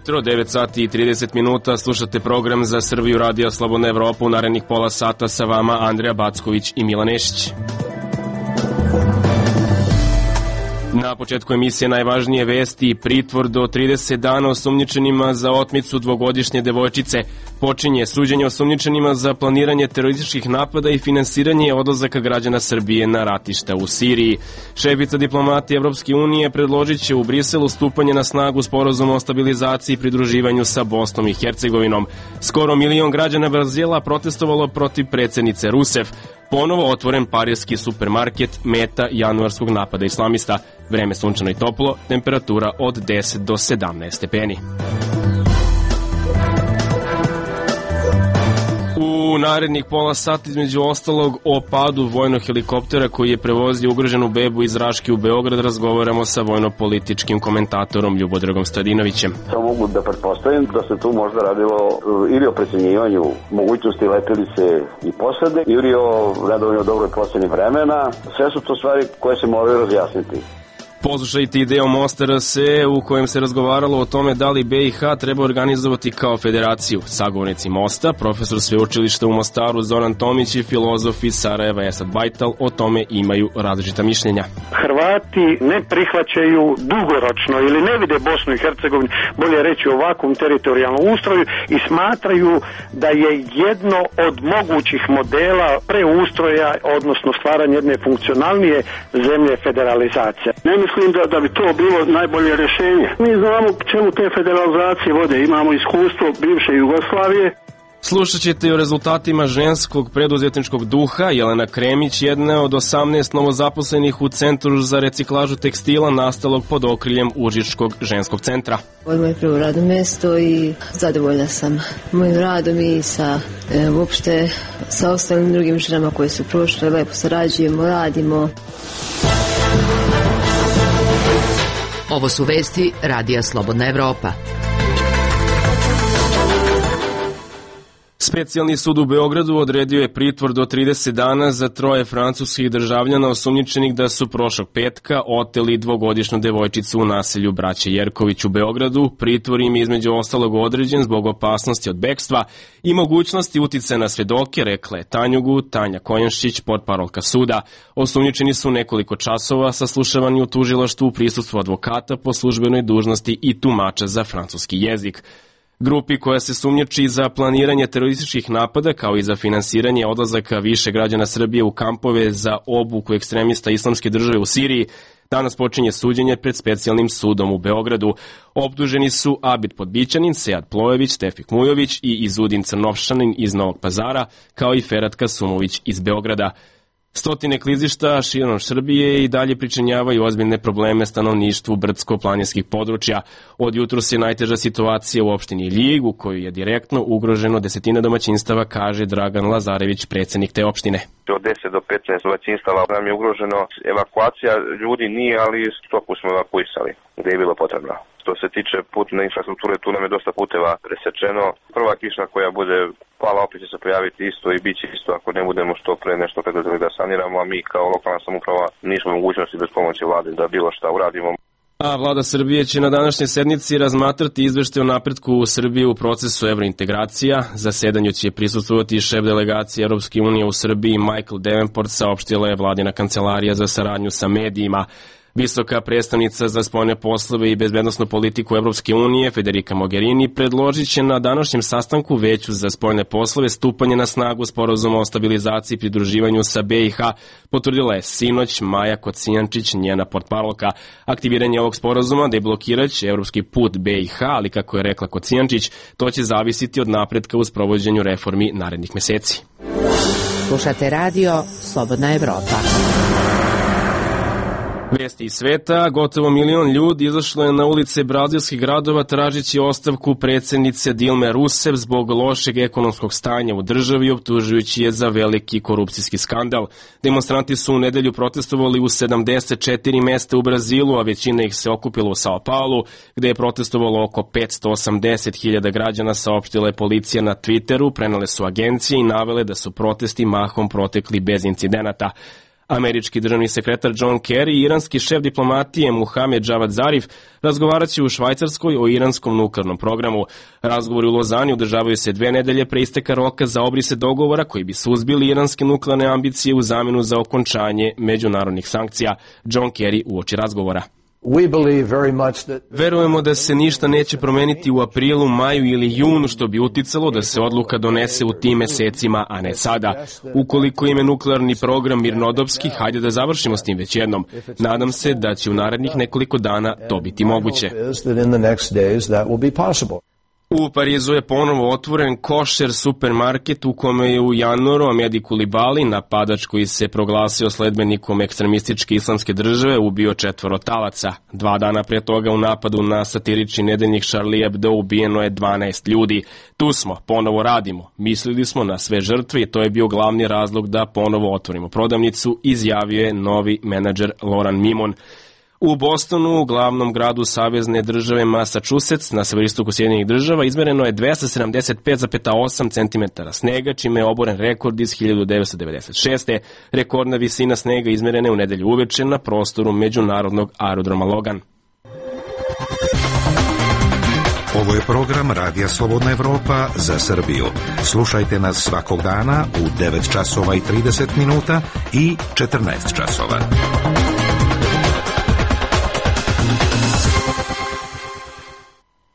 jutro, 9 sati i 30 minuta, slušate program za Srbiju Radio Slobodna Evropa. U narednih pola sata sa vama Andreja Backović i Milan Nešić. Na početku emisije najvažnije vesti: pritvor do 30 dana osumnjičenima za otmicu dvogodišnje devojčice. Počinje suđenje osumnjičenima za planiranje terorističkih napada i finansiranje odlazaka građana Srbije na ratišta u Siriji. Šefica diplomatije Evropske unije predložit će u Briselu stupanje na snagu sporazuma o stabilizaciji i pridruživanju sa Bosnom i Hercegovinom. Skoro 1 milion građana Brazila protestovalo protiv predsjednice Rusef. Ponovo otvoren parijski supermarket, meta januarskog napada islamista. Vreme sunčano i toplo, temperatura od 10 do 17 stepeni. U narednih pola sata, između ostalog, o padu vojnog helikoptera koji je prevozio ugroženu bebu iz Raške u Beograd, razgovaramo sa vojno-političkim komentatorom Ljubodragom Stojadinovićem. Samo mogu da pretpostavim da se tu možda radilo ili o precenjivanju mogućnosti letelice i posade, ili o nedovoljno dobroj proceni vremena. Sve su to stvari koje se moraju razjasniti. Poslušajte i deo Mosta RS u kojem se razgovaralo o tome da li BiH treba organizovati kao federaciju. Sagovornici Mosta, profesor sveučilišta u Mostaru Zoran Tomić i filozof iz Sarajeva Esad Bajtal o tome imaju različita mišljenja. Hrvati ne prihvaćaju dugoročno ili ne vide Bosnu i Hercegovinu, bolje reći ovakvom teritorijalnom ustroju, i smatraju da je jedno od mogućih modela preustroja, odnosno stvaranja jedne funkcionalnije zemlje federalizacija. Mislim da bi to bilo najbolje rješenje. Mi znamo čemu te federalizacije vode, imamo iskustvo bivše Jugoslavije. Slušat ćete i o rezultatima ženskog preduzetničkog duha. Jelena Kremić, jedna od 18 novozaposlenih u Centru za reciklažu tekstila nastalog pod okriljem Užičkog ženskog centra. Ovo je moje prvo radno mesto i zadovoljna sam mojim radom i sa uopšte sa ostalim drugim ženama koje su prošle. Lepo sarađujemo, radimo. Ovo su vesti Radija Slobodna Evropa. Specijalni sud u Beogradu odredio je pritvor do 30 dana za 3 francuskih državljana osumnjičenih da su prošlog petka oteli dvogodišnju devojčicu u naselju Braće Jerković u Beogradu. Pritvor im je između ostalog određen zbog opasnosti od bekstva i mogućnosti uticaja na svedoke, rekla je Tanjugu Tanja Kojenšić, portparolka suda. Osumnjičeni su nekoliko časova saslušavani u tužilaštvu u prisustvu advokata po službenoj dužnosti i tumača za francuski jezik. Grupi koja se sumnjiči za planiranje terorističkih napada kao i za finansiranje odlazaka više građana Srbije u kampove za obuku ekstremista Islamske države u Siriji, danas počinje suđenje pred specijalnim sudom u Beogradu. Optuženi su Abid Podbićanin, Sead Plojević, Tefik Mujović i Izudin Crnovšanin iz Novog Pazara, kao i Ferhat Kasumović iz Beograda. Stotine klizišta širom Srbije i dalje pričinjavaju ozbiljne probleme stanovništvu brdsko-planinskih područja. Od jutros je najteža situacija u opštini Ljig, u kojoj je direktno ugroženo desetine domaćinstava, kaže Dragan Lazarević, predsjednik te opštine. Od 10 do 15 domaćinstava nam je ugroženo. Evakuacija ljudi nije, ali stoku smo evakuisali gdje je bilo potrebno. Što se tiče putne infrastrukture, tu nam je dosta puteva presečeno. Prva kiša koja bude pala opet će se pojaviti isto i bit će isto ako ne budemo što pre nešto preduzeli da saniramo, a mi kao lokalna samouprava nismo mogućnosti bez pomoći vlade da bilo šta uradimo. A vlada Srbije će na današnjoj sednici razmatrati izveštaj o napretku u Srbiji u procesu evrointegracija. Zasedanju će prisustvovati šef delegacije Europske unije u Srbiji Michael Davenport, saopštila je vladina kancelarija za saradnju sa medijima. Visoka predstavnica za spoljne poslove i bezbednosnu politiku Evropske unije Federica Mogherini predložit će na današnjem sastanku Veću za spoljne poslove stupanje na snagu sporazuma o stabilizaciji i pridruživanju sa BiH, potvrdila je sinoć Maja Kocijančić, njena portparolka. Aktiviranje ovog sporazuma deblokiraće evropski put BiH, ali kako je rekla Kocijančić, to će zavisiti od napretka u sprovođenju reformi narednih meseci. Slušate radio Slobodna Evropa. Vesti iz sveta, gotovo 1 milion ljudi izašlo je na ulice brazilskih gradova tražeći ostavku predsjednice Dilme Rousseff zbog lošeg ekonomskog stanja u državi, optužujući je za veliki korupcijski skandal. Demonstranti su u nedelju protestovali u 74 mesta u Brazilu, a većina ih se okupila u Sao Paulu, gde je protestovalo oko 580.000 građana, saopštila je policija na Twitteru, prenele su agencije i navele da su protesti mahom protekli bez incidenata. Američki državni sekretar John Kerry i iranski šef diplomatije Muhamed Javad Zarif razgovarat će u Švajcarskoj o iranskom nuklearnom programu. Razgovori u Lozani održavaju se 2 nedelje pre isteka roka za obrise dogovora koji bi suzbili iranske nuklearne ambicije u zamenu za okončanje međunarodnih sankcija. John Kerry uoči razgovora. Verujemo da se ništa neće promeniti u aprilu, maju ili junu, što bi uticalo da se odluka donese u tim mesecima, a ne sada. Ukoliko im je nuklearni program mirnodopski, hajde da završimo s tim već jednom. Nadam se da će u narednih nekoliko dana to biti moguće. U Parizu je ponovo otvoren košer supermarket u kome je u januaru Amedi Kulibali, napadač koji se proglasio sledbenikom ekstremističke islamske države, ubio 4 talaca. 2 dana pre toga u napadu na satirični nedeljnik Charlie Hebdo ubijeno je 12 ljudi. Tu smo, ponovo radimo. Mislili smo na sve žrtve i to je bio glavni razlog da ponovo otvorimo prodavnicu, izjavio je novi menadžer Loran Mimon. U Bostonu, glavnom gradu savezne države Massachusetts, na severistoku Sjedinjenih država, izmereno je 275,8 cm snega, čime je oboren rekord iz 1996. Rekordna visina snega izmerena je u nedelju uveče na prostoru međunarodnog aerodroma Logan. Ovo je program Radija Slobodna Evropa za Srbiju. Slušajte nas svakog dana u 9 časova i 30 minuta i 14 časova.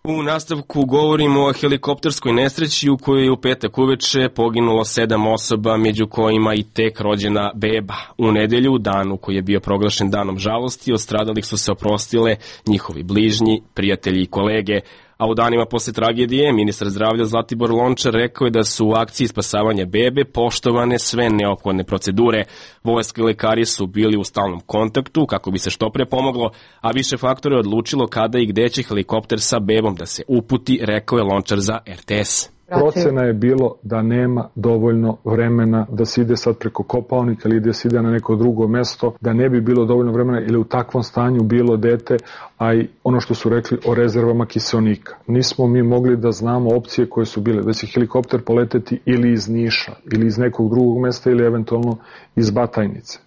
U nastavku govorimo o helikopterskoj nesreći u kojoj je u petak uveče poginulo 7 osoba, među kojima i tek rođena beba. U nedelju, danu koji je bio proglašen danom žalosti, od stradalih su se oprostile njihovi bližnji, prijatelji i kolege. A u danima posle tragedije, ministar zdravlja Zlatibor Lončar rekao je da su u akciji spasavanja bebe poštovane sve neophodne procedure. Vojska i lekari su bili u stalnom kontaktu kako bi se što pre pomoglo, a više faktora je odlučilo kada i gde će helikopter sa bebom da se uputi, rekao je Lončar za RTS. Procena je bilo da nema dovoljno vremena da se ide sad preko Kopaonika ili da se ide na neko drugo mesto, da ne bi bilo dovoljno vremena ili u takvom stanju bilo dete, a i ono što su rekli o rezervama kiseonika. Nismo mi mogli da znamo opcije koje su bile, da će helikopter poleteti ili iz Niša, ili iz nekog drugog mesta, ili eventualno iz Batajnice.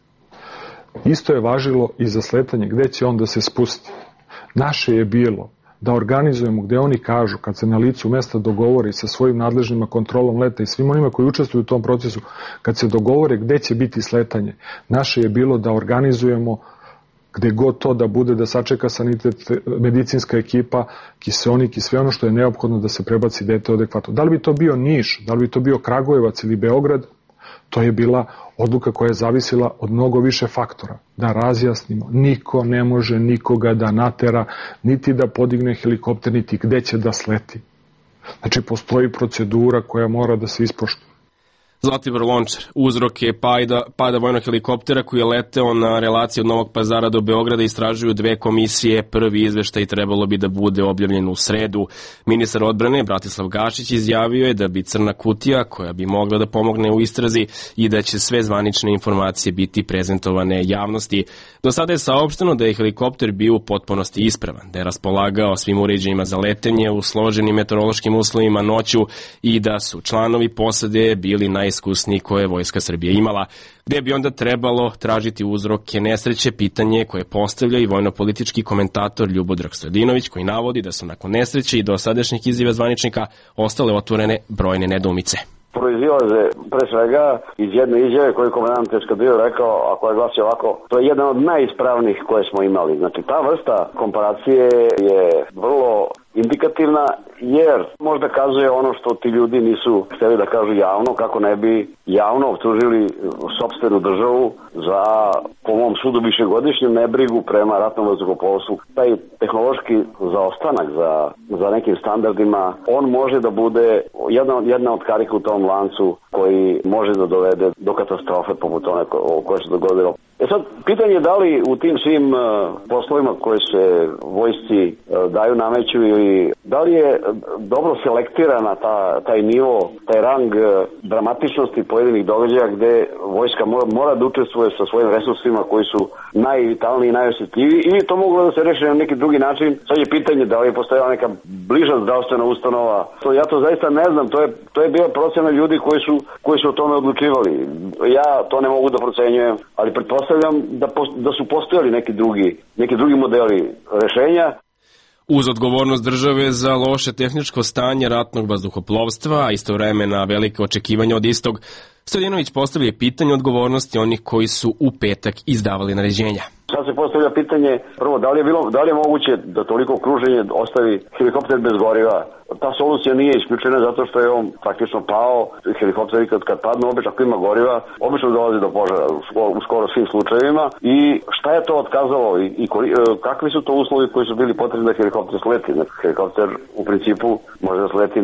Isto je važilo i za sletanje, gde će on da se spusti. Naše je bilo da organizujemo gde oni kažu, kad se na licu mesta dogovori sa svojim nadležnima kontrolom leta i svim onima koji učestvuju u tom procesu, kad se dogovore gde će biti sletanje, naše je bilo da organizujemo gde god to da bude, da sačeka sanitet, medicinska ekipa, kiseonik i sve ono što je neophodno da se prebaci dete adekvatno. Da li bi to bio Niš, da li bi to bio Kragujevac ili Beograd, to je bila odluka koja je zavisila od mnogo više faktora. Da razjasnimo, niko ne može nikoga da natera, niti da podigne helikopter, niti gde će da sleti. Znači, postoji procedura koja mora da se ispoštuje. Zlatibor Lončar, uzrok je pada vojnog helikoptera koji je leteo na relaciji od Novog Pazara do Beograda, istražuju 2 komisije. Prvi izveštaj trebalo bi da bude objavljen u sredu. Ministar odbrane Bratislav Gašić izjavio je da bi crna kutija, koja bi mogla da pomogne u istrazi, i da će sve zvanične informacije biti prezentovane javnosti. Do sada je saopšteno da je helikopter bio u potpunosti ispravan, da je raspolagao svim uređajima za letenje u složenim meteorološkim uslovima noću i da su članovi posade bili najiskusniji koje je Vojska Srbije imala. Gde bi onda trebalo tražiti uzroke nesreće, pitanje koje postavlja i vojno-politički komentator Ljubodrag Stojadinović, koji navodi da su nakon nesreće i dosadašnjih izjava zvaničnika ostale otvorene brojne nedoumice. Proizilaze pre svega iz jedne izjave koju komandant eskadrile rekao, a koja glasi ovako: to je jedan od najispravnijih koje smo imali. Znači, ta vrsta komparacije je vrlo indikativna, jer možda kazuje ono što ti ljudi nisu hteli da kažu javno, kako ne bi javno optužili sopstvenu državu za, po mom sudu, višegodišnju nebrigu prema ratnom vazduhoplovstvu. Taj tehnološki zaostanak za nekim standardima, on može da bude jedna od karika u tom lancu koji može da dovede do katastrofe poput one koje se dogodilo. Sad, pitanje je da li u tim svim poslovima koje se vojsci daju, nameću ili Da li je dobro selektirana taj nivo, taj rang dramatičnosti pojedinih događaja gde vojska mora da učestvuje sa svojim resursima koji su najvitalniji i najosjetljiviji, ili to moglo da se reši na neki drugi način. Sad je pitanje da li je postojala neka bliža zdravstvena ustanova. Ja to zaista ne znam, to je bila procena ljudi koji su o tome odlučivali. Ja to ne mogu da procenjujem, ali pretpostavljam da su postojali neki drugi modeli rešenja. Uz odgovornost države za loše tehničko stanje ratnog vazduhoplovstva, a istovremena velike očekivanja od istog, Stojadinović postavlja pitanje odgovornosti onih koji su u petak izdavali naređenja. Sad se postavlja pitanje, prvo, da li je moguće da toliko okruženje ostavi helikopter bez goriva? Ta solucija nije isključena zato što je on praktično pao. Helikopteri kad padnu, obično ako ima goriva, obično dolazi do požara u skoro svim slučajevima. I šta je to otkazalo i kakvi su to uslovi koji su bili potrebni da helikopter sleti? Helikopter u principu može da sleti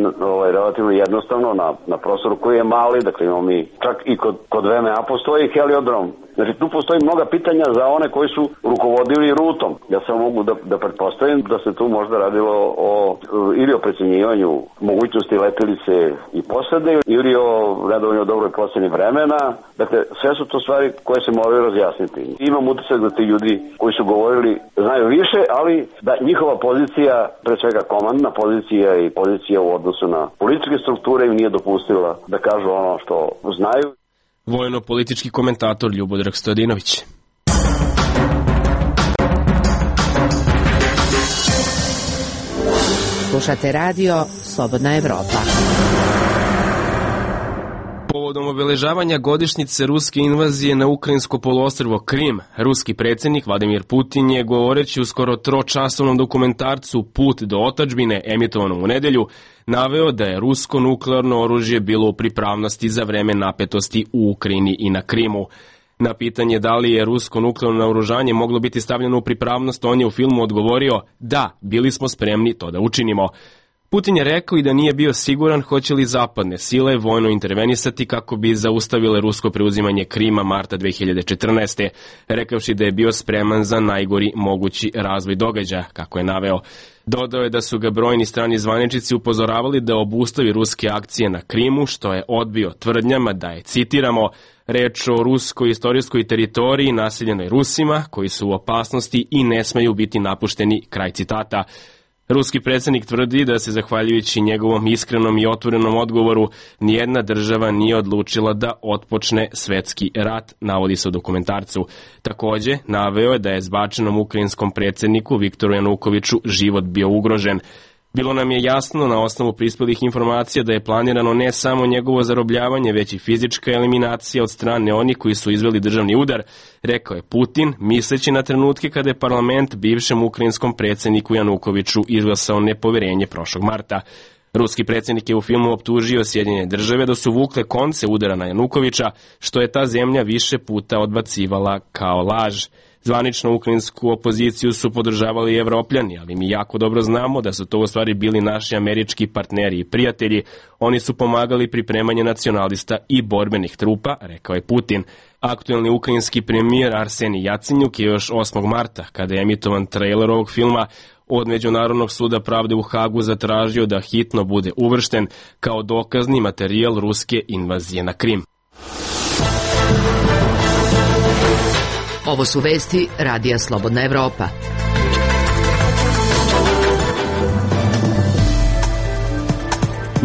relativno jednostavno na prostoru koji je mali, dakle imamo mi čak i kod VMA postoji heliodrom. Znači tu postoji mnoga pitanja za one koji su rukovodili rutom. Ja samo mogu da pretpostavim da se tu možda radilo ili o precenjivanju mogućnosti letelice i posade ili o nedovoljno dobroj proceni vremena. Dakle, sve su to stvari koje se moraju razjasniti. Imam utisak da ti ljudi koji su govorili znaju više, ali da njihova pozicija, pre svega komandna pozicija i pozicija u odnosu na političke strukture im nije dopustila da kažu ono što znaju. Vojno-politički komentator Ljubodrag Stojadinović. Slušate radio Slobodna Evropa. Povodom obeležavanja godišnjice ruske invazije na ukrajinsko poluostrvo Krim, ruski predsjednik Vladimir Putin je, govoreći u skoro tročasovnom dokumentarcu Put do otadžbine, emitovanom u nedelju, naveo da je rusko nuklearno oružje bilo u pripravnosti za vreme napetosti u Ukrajini i na Krimu. Na pitanje da li je rusko nuklearno naoružanje moglo biti stavljeno u pripravnost, on je u filmu odgovorio: da, bili smo spremni to da učinimo. Putin je rekao i da nije bio siguran hoće li zapadne sile vojno intervenisati kako bi zaustavile rusko preuzimanje Krima marta 2014. rekavši da je bio spreman za najgori mogući razvoj događaja, kako je naveo. Dodao je da su ga brojni strani zvaničnici upozoravali da obustavi ruske akcije na Krimu, što je odbio tvrdnjama da je, citiramo, reč o ruskoj istorijskoj teritoriji naseljenoj Rusima koji su u opasnosti i ne smeju biti napušteni, kraj citata. Ruski predsjednik tvrdi da se, zahvaljujući njegovom iskrenom i otvorenom odgovoru, nijedna država nije odlučila da otpočne svetski rat, navodi se u dokumentarcu. Takođe, naveo je da je zbačenom ukrajinskom predsjedniku Viktoru Janukoviću život bio ugrožen. Bilo nam je jasno na osnovu prispelih informacija da je planirano ne samo njegovo zarobljavanje, već i fizička eliminacija od strane onih koji su izveli državni udar, rekao je Putin, misleći na trenutke kada je parlament bivšem ukrajinskom predsjedniku Janukoviću izglasao nepoverenje prošlog marta. Ruski predsjednik je u filmu optužio Sjedinjene države da su vukle konce udara na Janukovića, što je ta zemlja više puta odbacivala kao laž. Zvanično ukrajinsku opoziciju su podržavali Evropljani, ali mi jako dobro znamo da su to u stvari bili naši američki partneri i prijatelji. Oni su pomagali pripremanje nacionalista i borbenih trupa, rekao je Putin. Aktuelni ukrajinski premijer Arsenij Jacenjuk je još 8. marta, kada je emitovan trailer ovog filma, od Međunarodnog suda pravde u Hagu zatražio da hitno bude uvršten kao dokazni materijal ruske invazije na Krim. Ovo su vesti Radija Slobodna Evropa.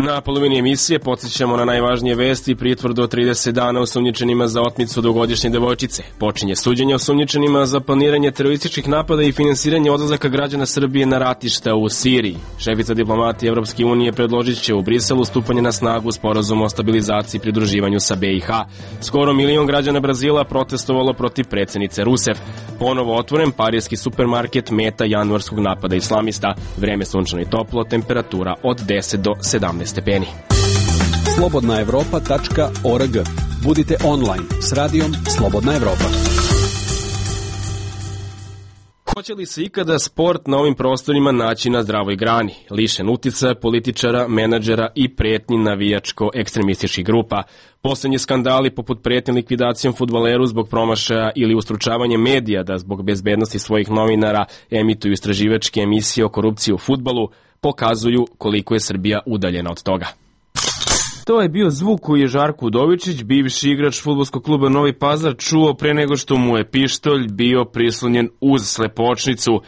Na polovini emisije podsjećamo na najvažnije vesti. Pritvor do 30 dana osumnjičenima za otmicu dugogodišnje devojčice. Počinje suđenje osumnjičenima za planiranje terorističkih napada i finansiranje odlazaka građana Srbije na ratišta u Siriji. Šefica diplomatije Evropske unije predložit će u Briselu stupanje na snagu sporazuma o stabilizaciji i pridruživanju sa BiH. Skoro 1 milion građana Brazila protestovalo protiv predsjednice Rusef. Ponovo otvoren parijski supermarket meta januarskog napada islamista. Vreme sunčano i toplo, temperatura od 10 do 17 stepeni. slobodnaevropa.org. Budite online s radijom Slobodna Evropa. Hoće li se ikada sport na ovim prostorima naći na zdravoj grani, lišen uticaja političara, menadžera i pretnji navijačko-ekstremističkih grupa? Poslednji skandali poput pretnje likvidacijom fudbaleru zbog promašaja ili ustručavanje medija da zbog bezbednosti svojih novinara emituju istraživačke emisije o korupciji u fudbalu pokazuju koliko je Srbija udaljena od toga. To je bio zvuk koji je Žarko Udovičić, bivši igrač fudbalskog kluba Novi Pazar, čuo pre nego što mu je pištolj bio prislonjen uz slepočnicu.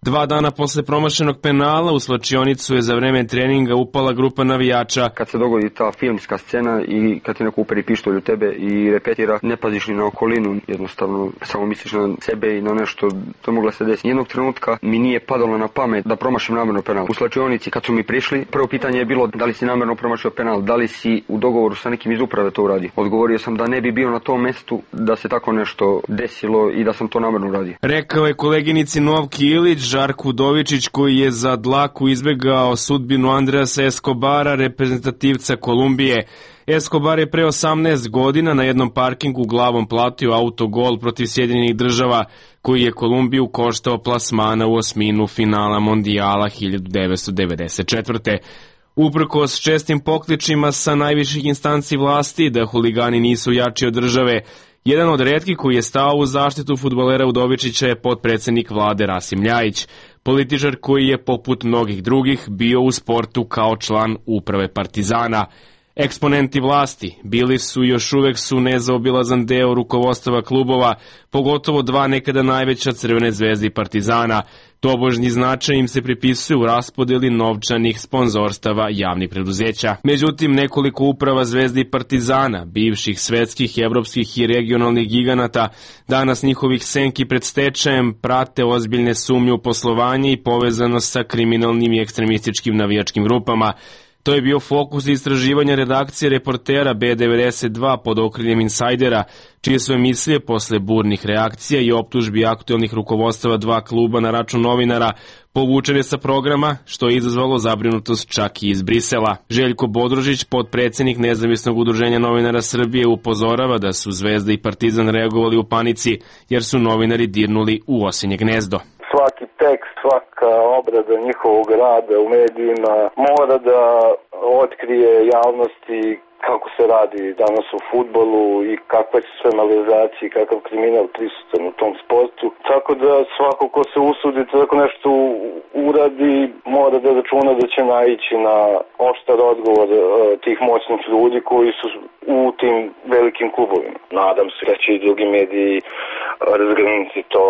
2 dana posle promašenog penala u slačionicu je za vreme treninga upala grupa navijača. Kad se dogodi ta filmska scena i kad ti neko uperi pištolj u tebe i repetira, ne paziš ni na okolinu, jednostavno samo misliš na sebe i na nešto, to je mogla se desiti. Jednog trenutka mi nije padalo na pamet da promašim namerno penal. U slačionici kad su mi prišli, prvo pitanje je bilo da li si namerno promašio penal, da li si u dogovoru sa nekim iz uprave to uradio. Odgovorio sam da ne bi bio na tom mestu da se tako nešto desilo i da sam to namerno uradio. Rekao je koleginici Novki Ilić, Žarko Udovičić, koji je za dlaku izbegao sudbinu Andreasa Escobara, reprezentativca Kolumbije. Escobar je pre 18 godina na jednom parkingu glavom platio autogol protiv Sjedinjenih Država, koji je Kolumbiju koštao plasmana u osminu finala Mondijala 1994. Uprkos čestim pokličima sa najviših instanci vlasti da huligani nisu jači od države, jedan od retkih koji je stao u zaštitu fudbalera Udovičića je potpredsednik vlade Rasim Ljajić, političar koji je poput mnogih drugih bio u sportu kao član uprave Partizana. Eksponenti vlasti bili su i još uvek su nezaobilazan deo rukovodstava klubova, pogotovo 2 nekada najveća Crvene zvezde i Partizana. Tobožnji značaj im se pripisuje u raspodeli novčanih sponzorstava javnih preduzeća. Međutim, nekoliko uprava Zvezde i Partizana, bivših svetskih, evropskih i regionalnih giganata, danas njihovih senki pred stečajem prate ozbiljne sumnje u poslovanje i povezanost sa kriminalnim i ekstremističkim navijačkim grupama. To je bio fokus istraživanja redakcije Reportera B92 pod okriljem Insajdera, čije su emisije posle burnih reakcija i optužbi aktuelnih rukovodstava 2 kluba na račun novinara povučene sa programa, što je izazvalo zabrinutost čak i iz Brisela. Željko Bodrožić, potpredsednik Nezavisnog udruženja novinara Srbije, upozorava da su Zvezda i Partizan reagovali u panici jer su novinari dirnuli u osinje gnezdo. Svaki tekst, svaka obrada njihovog rada u medijima mora da otkrije javnosti kako se radi danas u fudbalu i kakve su sve malverzacije i kakav kriminal prisutan u tom sportu. Tako da svako ko se usudi tako nešto uradi mora da računa da će naići na oštar odgovor tih moćnih ljudi koji su u tim velikim klubovima. Nadam se da će i drugi mediji razgrnuti to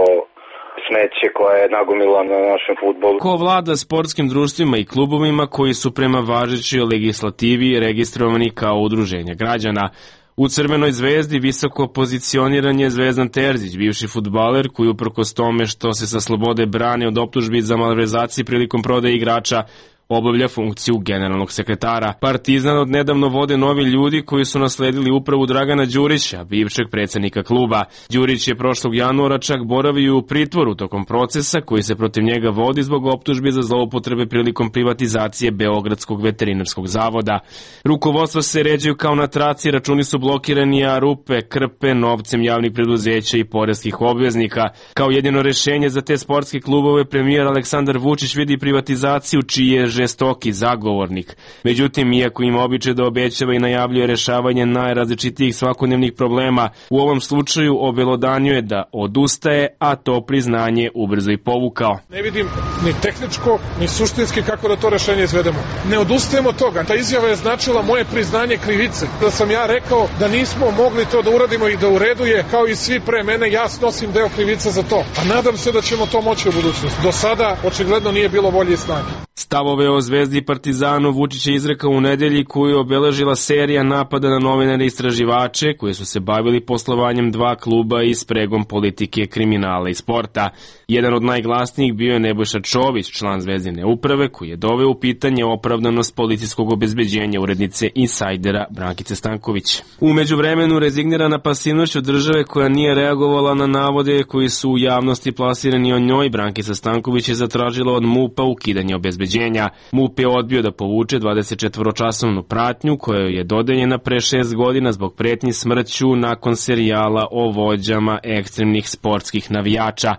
smeće koja je nagomila na našem fudbalu. Ko vlada sportskim društvima i klubovima koji su prema važećoj legislativi registrovani kao udruženja građana? U Crvenoj zvezdi visoko pozicioniran je Zvezdan Terzić, bivši fudbaler koji uprkos tome što se sa slobode brani od optužbi za malverzacije prilikom prodaje igrača, obavlja funkciju generalnog sekretara. Partizan od nedavno vode novi ljudi koji su nasledili upravu Dragana Đurića, bivšeg predsednika kluba. Đurić je prošlog januara čak boravio u pritvoru tokom procesa koji se protiv njega vodi zbog optužbi za zloupotrebe prilikom privatizacije Beogradskog veterinarskog zavoda. Rukovodstva se ređaju kao na traci, računi su blokirani, a rupe krpe novcem javnih preduzeća i poreskih obveznika. Kao jedino rešenje za te sportske klubove premijer Aleksandar Vučić vidi privatizaciju, čiji je žestoki zagovornik. Međutim, iako ima običaj da obećava i najavljuje rešavanje najrazličitijih svakodnevnih problema, u ovom slučaju obelodanjuje da odustaje, a to priznanje ubrzo i povukao. Ne vidim ni tehničko, ni suštinski kako da to rešenje izvedemo. Ne odustajemo od toga. Ta izjava je značila moje priznanje krivice. Da sam ja rekao da nismo mogli to da uradimo i da u redu je, kao i svi pre mene, ja snosim deo krivice za to. A nadam se da ćemo to moći u budućnosti. Do sada očigledno nije bilo volje i snage. Stavove o Zvezdi i Partizanu Vučić je izrekao u nedelji koju je obeležila serija napada na novinare i istraživače koji su se bavili poslovanjem 2 kluba i spregom politike, kriminala i sporta. Jedan od najglasnijih bio je Nebojša Čović, član Zvezdine uprave, koji je doveo u pitanje opravdanost policijskog obezbeđenja urednice Insajdera Brankice Stanković. U međuvremenu, rezignirana pasivnošću države koja nije reagovala na navode koji su u javnosti plasirani o njoj, Brankica Stanković je zatražila od MUP-a ukidanje obezbeđenja. MUP je odbio da povuče 24-časovnu pratnju koja je dodeljena pre 6 godina zbog pretnji smrću nakon serijala o vođama ekstremnih sportskih navijača.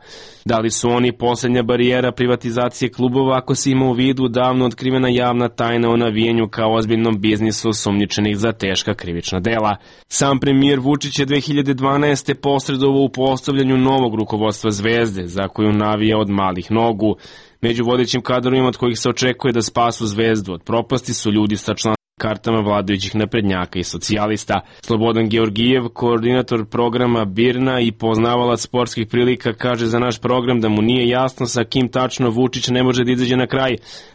Da li su oni poslednja barijera privatizacije klubova ako se ima u vidu davno otkrivena javna tajna o navijenju kao ozbiljnom biznisu osumnjičenih za teška krivična dela? Sam premijer Vučić je 2012. posredovao u postavljanju novog rukovodstva Zvezde, za koju navija od malih nogu. Među vodećim kadrovima od kojih se očekuje da spasu Zvezdu od propasti su ljudi sa članskim kartama vladajućih naprednjaka i socijalista. Slobodan Georgijev, koordinator programa BIRNA i poznavalac sportskih prilika, kaže za naš program da mu nije jasno sa kim tačno Vučić ne može da izađe na kraj,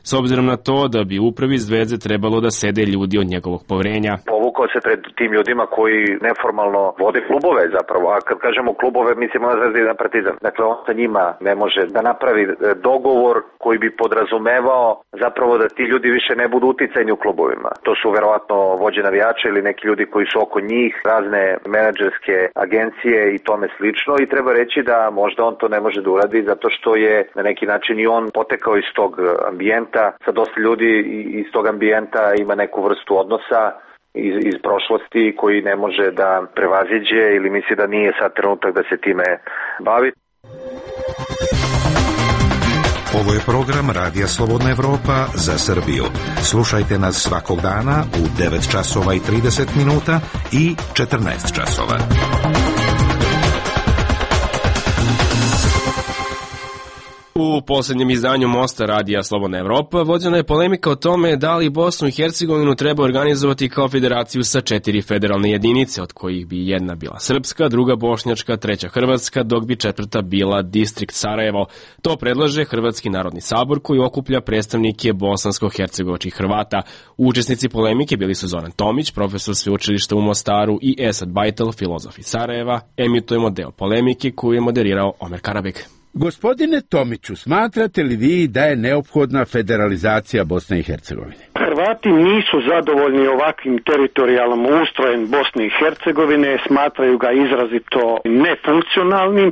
s obzirom na to da bi upravi Zvezde trebalo da sede ljudi od njegovog poverenja. Povukao se pred tim ljudima koji neformalno vode klubove zapravo, a kad kažemo klubove mislimo na Zvezdu i na Partizan. Dakle, on sa njima ne može da napravi dogovor koji bi podrazumevao zapravo da ti ljudi više ne budu uticajni u klubovima. To su verovatno vođe navijača ili neki ljudi koji su oko njih, razne menadžerske agencije i tome slično, i treba reći da možda on to ne može da uradi zato što je na neki način i on potekao iz tog ambijenta, sa dosta ljudi iz tog ambijenta ima neku vrstu odnosa iz prošlosti koji ne može da prevaziđe ili misli da nije sad trenutak da se time bavi. Ovo je program Radija Slobodna Evropa za Srbiju. Slušajte nas svakog dana u 9 časova i 30 minuta i 14 časova. U posljednjem izdanju Mosta Radija Slobodna Evropa vođena je polemika o tome da li Bosnu i Hercegovinu treba organizovati kao federaciju sa 4 federalne jedinice, od kojih bi jedna bila srpska, druga bošnjačka, treća hrvatska, dok bi četvrta bila distrikt Sarajevo. To predlaže Hrvatski narodni sabor koji okuplja predstavnike bosansko-hercegovačkih Hrvata. Učesnici polemike bili su Zoran Tomić, profesor sveučilišta u Mostaru, i Esad Bajtel, filozof iz Sarajeva. Emitujemo deo polemike koju je moderirao Omer Karabek. Gospodine Tomiću, smatrate li vi da je neophodna federalizacija Bosne i Hercegovine? Hrvati nisu zadovoljni ovakvim teritorijalnom ustrojem Bosne i Hercegovine, smatraju ga izrazito nefunkcionalnim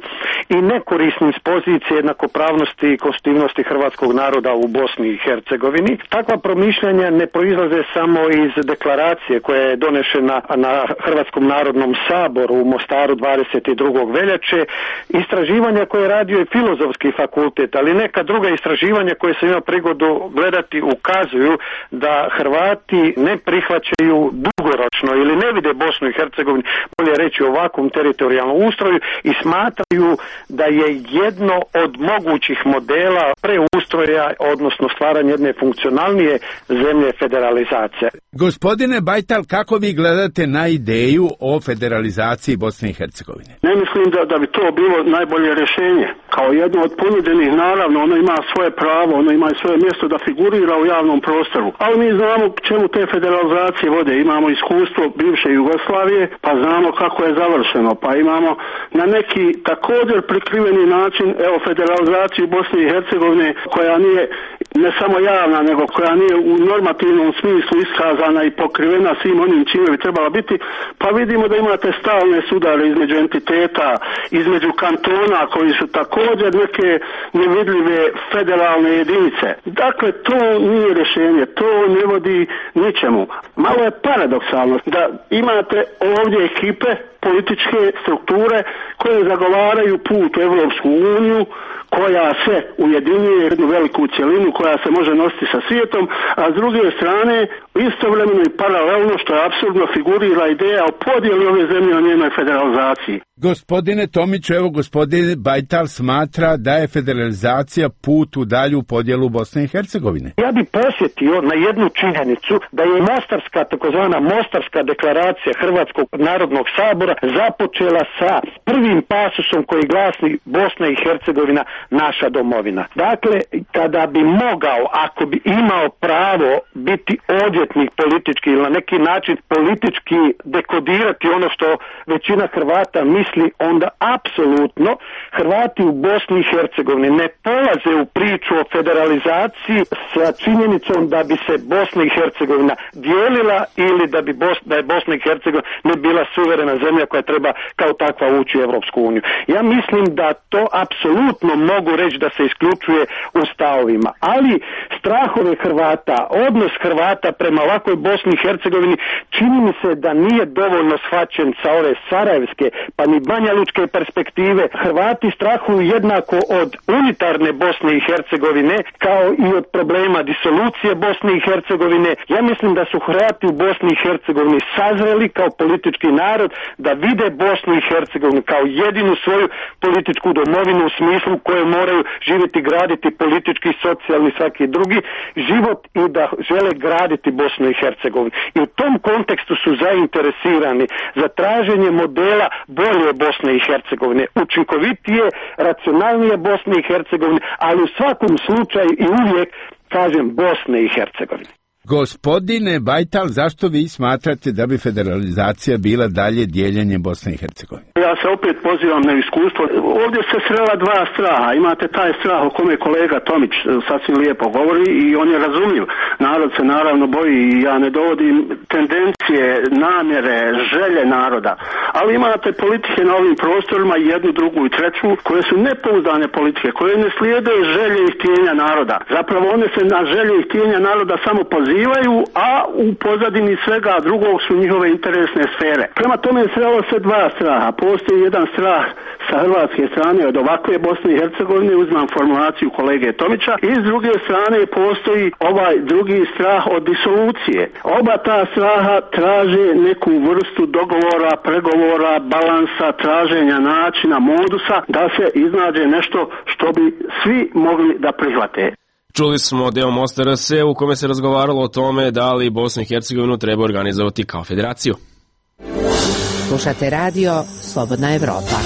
i nekorisnim s pozicije jednakopravnosti i konstitutivnosti hrvatskog naroda u Bosni i Hercegovini. Takva promišljanja ne proizlaze samo iz deklaracije koja je donešena na Hrvatskom narodnom saboru u Mostaru 22. veljače, istraživanja koje je radio i Filozofski fakultet, ali neka druga istraživanja koje sam imao prigodu gledati ukazuju da Hrvati ne prihvaćaju dugoročno ili ne vide Bosnu i Hercegovinu, bolje reći, u ovakvom teritorijalnom ustroju i smatraju da je jedno od mogućih modela preustroja, odnosno stvaranja jedne funkcionalnije zemlje federalizacije. Gospodine Bajtal, kako vi gledate na ideju o federalizaciji Bosne i Hercegovine? Ne mislim da bi to bilo najbolje rješenje. Kao jedno od ponuđenih, naravno, ono ima svoje pravo, ono ima svoje mjesto da figurira u javnom prostoru. Ali mi znamo čemu te federalizacije vode. Imamo iskustvo bivše Jugoslavije, pa znamo kako je završeno. Pa imamo na neki također prikriveni način, federalizaciju Bosne i Hercegovine, koja nije ne samo javna, nego koja nije u normativnom smislu iskazana i pokrivena svim onim čime bi trebala biti. Pa vidimo da imate stalne sudare između entiteta, između kantona koji su također neke nevidljive federalne jedinice. Dakle, to nije rješenje, to ne vodi ničemu. Malo je paradoksalno da imate ovdje ekipe, političke strukture koje zagovaraju put u Evropsku uniju, koja se ujedinjuje jednu veliku cjelinu koja se može nositi sa svijetom, a s druge strane istovremeno i paralelno, što je apsurdno, figurira ideja o podjeli ove zemlje o njenoj federalizaciji. Gospodine Tomiću, evo gospodin Bajtal smatra da je federalizacija put u dalju podjelu Bosne i Hercegovine. Ja bih posjetio na jednu činjenicu da je Mostarska, takozvana Mostarska deklaracija Hrvatskog narodnog sabora započela sa prvim pasusom koji glasi Bosna i Hercegovina naša domovina. Dakle, kada bi mogao, ako bi imao pravo biti odvjetnik politički ili na neki način politički dekodirati ono što većina Hrvata misli misli, onda apsolutno Hrvati u Bosni i Hercegovini ne polaze u priču o federalizaciji sa činjenicom da bi se Bosna i Hercegovina dijelila ili da je Bosna i Hercegovina ne bila suverena zemlja koja treba kao takva ući u Evropsku uniju. Ja mislim da to apsolutno mogu reći da se isključuje u stavovima, ali strahove Hrvata, odnos Hrvata prema ovakvoj Bosni i Hercegovini čini mi se da nije dovoljno shvaćen sa ove sarajevske pa ni banjalučke perspektive. Hrvati strahuju jednako od unitarne Bosne i Hercegovine kao i od problema disolucije Bosne i Hercegovine. Ja mislim da su Hrvati u Bosni i Hercegovini sazreli kao politički narod da vide Bosnu i Hercegovinu kao jedinu svoju političku domovinu u smislu koje moraju živjeti, graditi politički, socijalni, svaki drugi život i da žele graditi Bosnu i Hercegovinu. I u tom kontekstu su zainteresirani za traženje modela bolje Bosne i Hercegovine, učinkovitije, racionalnije Bosne i Hercegovine, ali u svakom slučaju i uvijek kažem Bosne i Hercegovine. Gospodine Bajtal, zašto vi smatrate da bi federalizacija bila dalje dijeljenje Bosne i Hercegovine? Ja se opet pozivam na iskustvo. Ovdje se srela dva straha. Imate taj strah o kome kolega Tomić sasvim lijepo govori i on je razumljiv. Narod se naravno boji i ja ne dovodim tendencije, namjere, želje naroda. Ali imate politike na ovim prostorima, jednu, drugu i treću, koje su nepouzdane politike, koje ne slijede želje i htjenja naroda. Zapravo one se na želje i htjenja naroda samo pozivaju, a u pozadini svega drugog su njihove interesne sfere. Prema tome srelo se dva straha. Postoji jedan strah sa hrvatske strane od ovakve Bosne i Hercegovine, uzmam formulaciju kolege Tomića, i s druge strane postoji ovaj drugi strah od disolucije. Oba ta straha traže neku vrstu dogovora, pregovora, balansa, traženja načina, modusa da se iznađe nešto što bi svi mogli da prihvate. Čuli smo deo Mosta RS u kome se razgovaralo o tome da li Bosnu i Hercegovinu treba organizovati kao federaciju. Slušate radio Slobodna Evropa.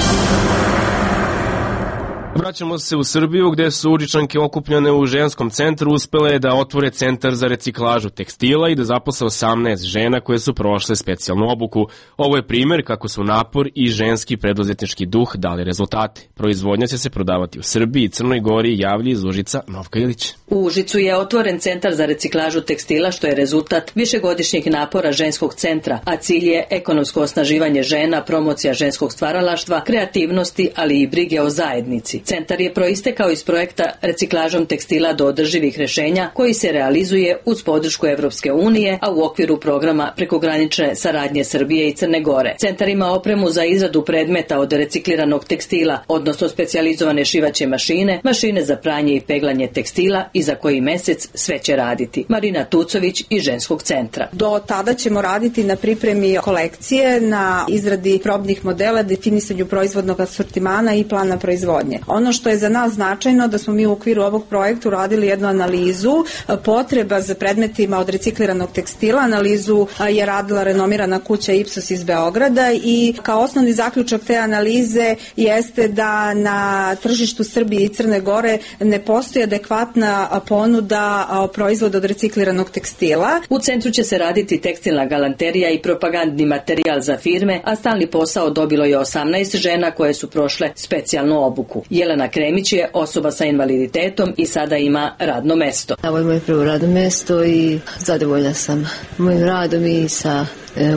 Vraćamo se u Srbiju gde su Užičanke okupljene u ženskom centru uspele da otvore centar za reciklažu tekstila i da zaposle 18 žena koje su prošle specijalnu obuku. Ovo je primer kako su napor i ženski preduzetnički duh dali rezultate. Proizvodnja će se prodavati u Srbiji i Crnoj Gori, javlja iz Užica Novka Ilić. U Užicu je otvoren centar za reciklažu tekstila što je rezultat višegodišnjeg napora ženskog centra, a cilj je ekonomsko osnaživanje žena, promocija ženskog stvaralaštva, kreativnosti, ali i brige o zajednici. Centar je proistekao iz projekta reciklažom tekstila do održivih rešenja koji se realizuje uz podršku Evropske unije, a u okviru programa prekogranične saradnje Srbije i Crne Gore. Centar ima opremu za izradu predmeta od recikliranog tekstila, odnosno specijalizovane šivaće mašine, mašine za pranje i peglanje tekstila i za koji mesec sve će raditi. Marina Tucović iz ženskog centra. Do tada ćemo raditi na pripremi kolekcije, na izradi probnih modela, definisanju proizvodnog asortimana i plana proizvodnje. Ono što je za nas značajno da smo mi u okviru ovog projekta uradili jednu analizu potreba za predmetima od recikliranog tekstila. Analizu je radila renomirana kuća Ipsos iz Beograda i kao osnovni zaključak te analize jeste da na tržištu Srbije i Crne Gore ne postoji adekvatna ponuda proizvoda od recikliranog tekstila. U centru će se raditi tekstilna galanterija i propagandni materijal za firme, a stalni posao dobilo je 18 žena koje su prošle specijalnu obuku. Jelena Kremić je osoba sa invaliditetom i sada ima radno mesto. Ovo je moje prvo radno mesto i zadovoljna sam mojim radom i sa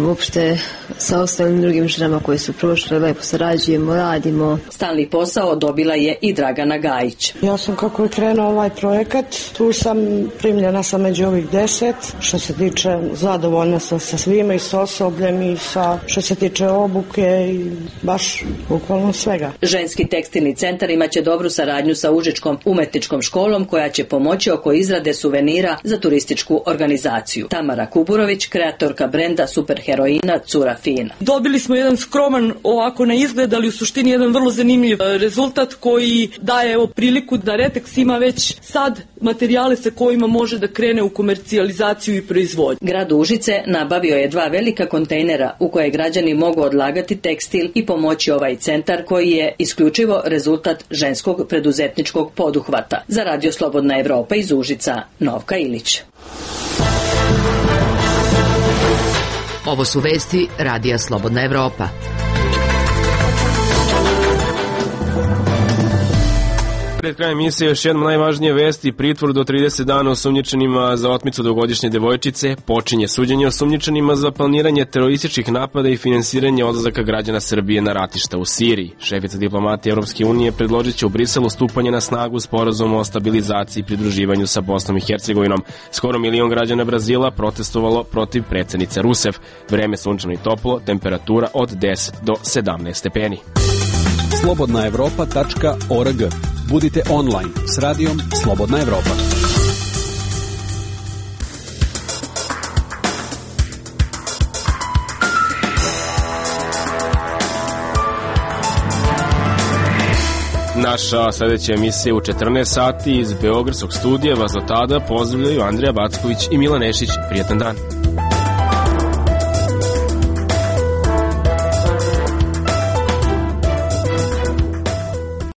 uopšte sa ostalim drugim ženama koje su prošle, lepo sarađujemo, radimo. Stalni posao dobila je i Dragana Gajić. Ja sam kako je krenuo ovaj projekat, tu sam primljena sam među ovih 10, što se tiče zadovoljna sam sa svima i sa osobljem i sa što se tiče obuke i baš bukvalno svega. Ženski tekstilni centar imaće dobru saradnju sa Užičkom umetničkom školom koja će pomoći oko izrade suvenira za turističku organizaciju. Tamara Kuburović, kreatorka brenda superheroina Cura Fina. Dobili smo jedan skroman ovako na izgled, ali u suštini jedan vrlo zanimljiv rezultat koji daje priliku da Retex ima već sad materijale sa kojima može da krene u komercijalizaciju i proizvodnju. Grad Užice nabavio je 2 velika kontejnera u koje građani mogu odlagati tekstil i pomoći ovaj centar koji je isključivo rezultat ženskog preduzetničkog poduhvata. Za Radio Slobodna Evropa iz Užica, Novka Ilić. Ovo su vesti Radija Slobodna Evropa. Pred krajem emisije još jedna najvažnije vesti, pritvor do 30 dana osumnjičenima za otmicu dvogodišnje devojčice, počinje suđenje osumnjičenima za planiranje terorističkih napada i finansiranje odlazaka građana Srbije na ratišta u Siriji. Šefica diplomatije Europske unije predložit će u Briselu stupanje na snagu sporazuma o stabilizaciji i pridruživanju sa Bosnom i Hercegovinom. Skoro 1 milion građana Brazila protestovalo protiv predsjednice Rusev. Vreme sunčano i toplo, temperatura od 10 do 17 stepeni. Slobodnaevropa.org. Budite online s radijom Slobodna Evropa. Naša sljedeća emisija u 14 sati iz Beogradskog studija vas do tada pozdravljaju Andrija Backović i Milan Nešić. Prijetan dan.